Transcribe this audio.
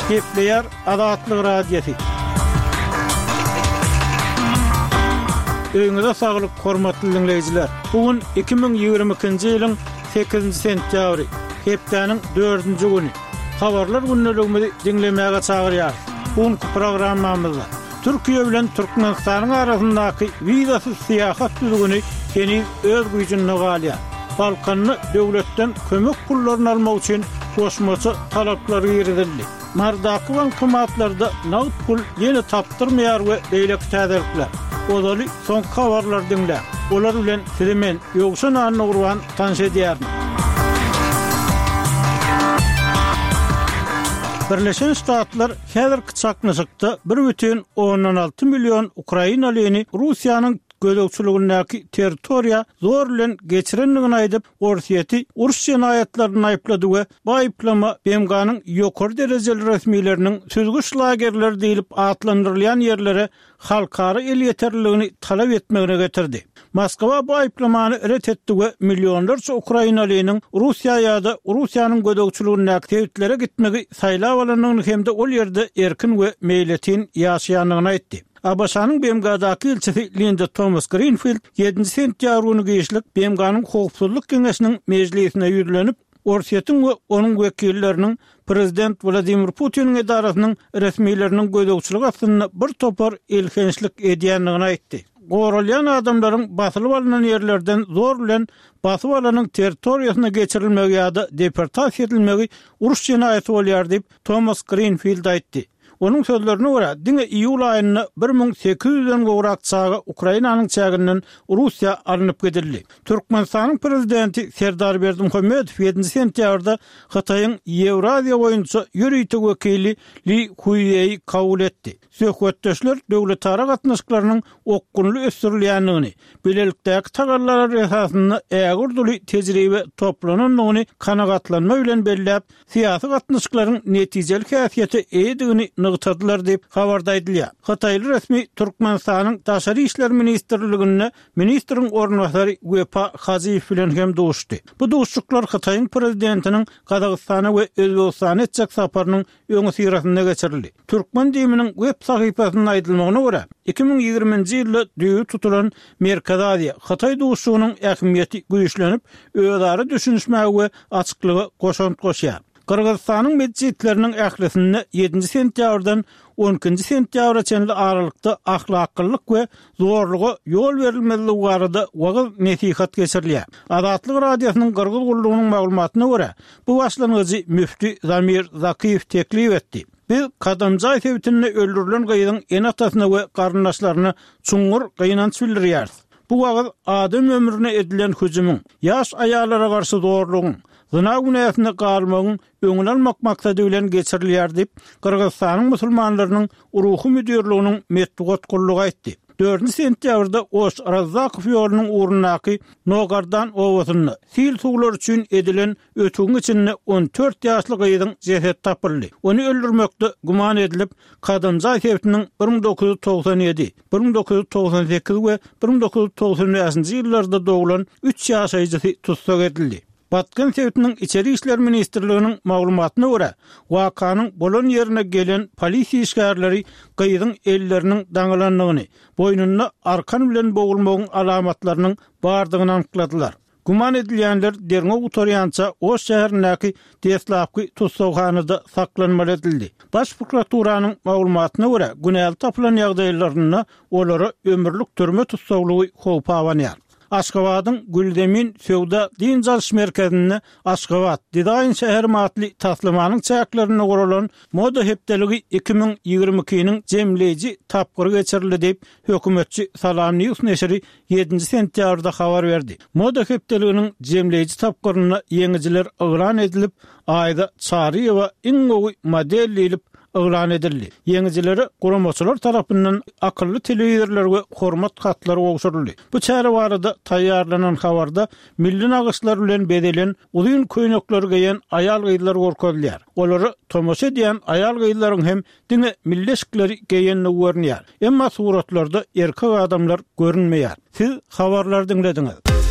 Gepleýär Azatlyk Radiosy. Öýüňize saglyk, hormatly diňleýjiler! Bu gün 2022-nji ýylyň sekizinji sentýabry, hepdäniň dördünji güni. Habarlar gündeligimizi diňlemäge çagyrýarys. Bu günki programmamyzda Türkiýe bilen Türkmenistanyň arasyndaky wizasyz syýahat düzgüni heniz öz güýjünde galýar. Balkanda döwletden kömek pullaryny almak üçin goşmaça talaplar girizildi. Marydaky bankomatlarda nagt pul ýene tapdyrmaýar we beýleki täzelikler. Ozaly soňky habarlary diňläň. Olar bilen sizi men, Ýowşan Annagurban tanyş edýärin. Birleşen Ştatlar häzirki çaknyşykda 1,6 million ukrainalyny Russiýanyň gözegçiligindäki territoriýa zor bilen geçirendigini aýdyp, Orsýeti uruş jenaýatlarynda aýyplady we bu aýyplama BMG-niň ýokary derejeli resmileriniň süzgüç lagerleri diýlip atlandyrylýan ýerlere halkara elýeterliligini talap etmegine getirdi. Moskwa bu aýyplamany ret etdi we millionlarça ukrainalynyň Russiýa ýa-da Russiýanyň gözegçiligindäki sebitlere gitmegi saýlap alandygyny hem-de ol ýerde erkin we meýletin ýaşaýandygyny aýtdy. ABŞ-nyň BMG-daky ilçisi Linda Tomas-Grinfild ýedinji sentýabr güni giçlik BMG-niň Howpsuzlyk Geňeşiniň mejlisine ýüzlenip, Orsýetiň we onuň wekilleriniň prezident Wladimir Putiniň edarasynyň resmileriniň gözegçiligi astynda bir topar elhençlik edýändigini aýtdy. Goralýan adamlaryň basylyp alnan ýerlerden zor bilen basyp alanyň territoriýasyna geçirilmegi ýa-da deportasiýa edilmegi uruş jenaýaty bolýar diýip, Tomas Grinfild aýtdy. Onuň sözlerine görä, diňe iýul aýynda 1800-den gowrak çaga Ukrainanyň çäginden Russiýa alnyp gidildi. Türkmenistanyň Prezidenti Serdar Berdimuhamedow ýedinji sentýabrda Hytaýyň Ýewraziýa boýunça ýörite wekili Li Huýeýi kabul etdi. Söhbetdeşler döwletara gatnaşyklarynyň okgunly ösdürilýändigini, bilelikdäki tagallalar esasynda ägirt uly tejribe toplanandygyny kanagatlanma bilen belläp, syýasy gatnaşyklaryň netijeli häsiýete eýedigini nygtadylar diýip, habarda aýdylýar. Hytaýly resmi Türkmenistanyň Daşary işler ministrliginde ministriň orunbasary Wepa Hajyýew bilen hem duşdy. Bu duşuşyklar Hytaýyň Prezidentiniň Gazagystana we Özbegistana etjek saparynyň öňüsyrasynda geçirildi. Türkmen DIM-niň web sahypasynda aýdylmagyna görä, 2020-nji ýylda düýbi tutulan Merkezi Aziýa, Hytaý duşuşygynyň ähmiýeti güýçlenip, özara düşünişmäge we açyklyga goşant goşýar. Gyrgyzystanyň metjitleriniň ählisinde ýedinji sentýabrdan on ikinji sentýabra çenli aralykda ahlaklylyk we zorluga ýol berilmezligi barada wagyz-nesihat geçirilýär. Azatlyk Radiosynyň Gyrgyz gullugynyň maglumatyna görä, bu başlangyjy müfti Zamir Zakyýew teklip etdi. Biz Kadamjaý sebitinde öldürilen gyzyň ene-atasyna we garyndaşlaryna çuňňur gynanç bildirýäris. Bu wagyz adam ömrüne edilen hüjümiň, ýaş aýallara garşy zorlugyň, zyna günäsinde galmagyň öňüni almak maksady bilen geçirilýär diýip, Gyrgyzystanyň musulmanlarynyň Ruhy müdirliginiň metbugat gullugy aýtdy. Dördünji sentýabrda Oş-Razzakow ýolunyň ugrundaky Nogardan obasynda sil suwlary üçin edilen ötügiň içinde 14 ýaşly gyzyň jesedi tapyldy. Ony öldürmekde güman edilip, Kadamjaý sebitiniň 1997, 1998 we 1995-nji ýyllarda doglan üç ýaşaýjysy tussag edildi. Batken sebitiniň Içeri işler ministrliginiň maglumatyna görä, wakanyň bolan ýerine gelen polisiýa işgärleri gyzyň elleriniň daňylandygyny, boýnunda arkan bilen bogulmagyň alamatlarynyň bardygyny anykladylar. Güman edilýänler derňew gutarýança Oş şäherindäki deslapky tussaghanada saklanmaly edildi. Baş prokuraturanyň maglumatyna görä, günäli tapylan ýagdaýlarynda olara ömürlik türme tussaglygy howpy abanýar. Aşgabadyň Gülzemin söwda-dynç alyş merkezinde Aşgabat, dizaýn şäherim atly taslamanyň çäklerinde guralan Moda hepdeligi 2022-niň jemleýji tapgyry geçirildi diýip, hökümetçi Salam News neşiri ýedinji sentýabrda habar berdi. Moda hepdeliginiň jemleýji tapgyrynda ýeňijiler yglan edilip, Aýza Çaryýewa iň gowy model diýlip yglan edildi. Ýeňijilere guramaçylar tarapyndan akylly telewizorlar we hormat hatlary gowşuryldy. Bu çäre barada taýýarlanan habarda milli nagyşlar bilen bezelen uzyn köýnekleri geýen aýal-gyzlar görkezilýär. Olara tomaşa edýän aýal-gyzlaryň hem diňe milli eşikleri geýendigi görünýär. Emma suratlarda erkek adamlar görünmeýär. Siz habarlary diňlediňiz.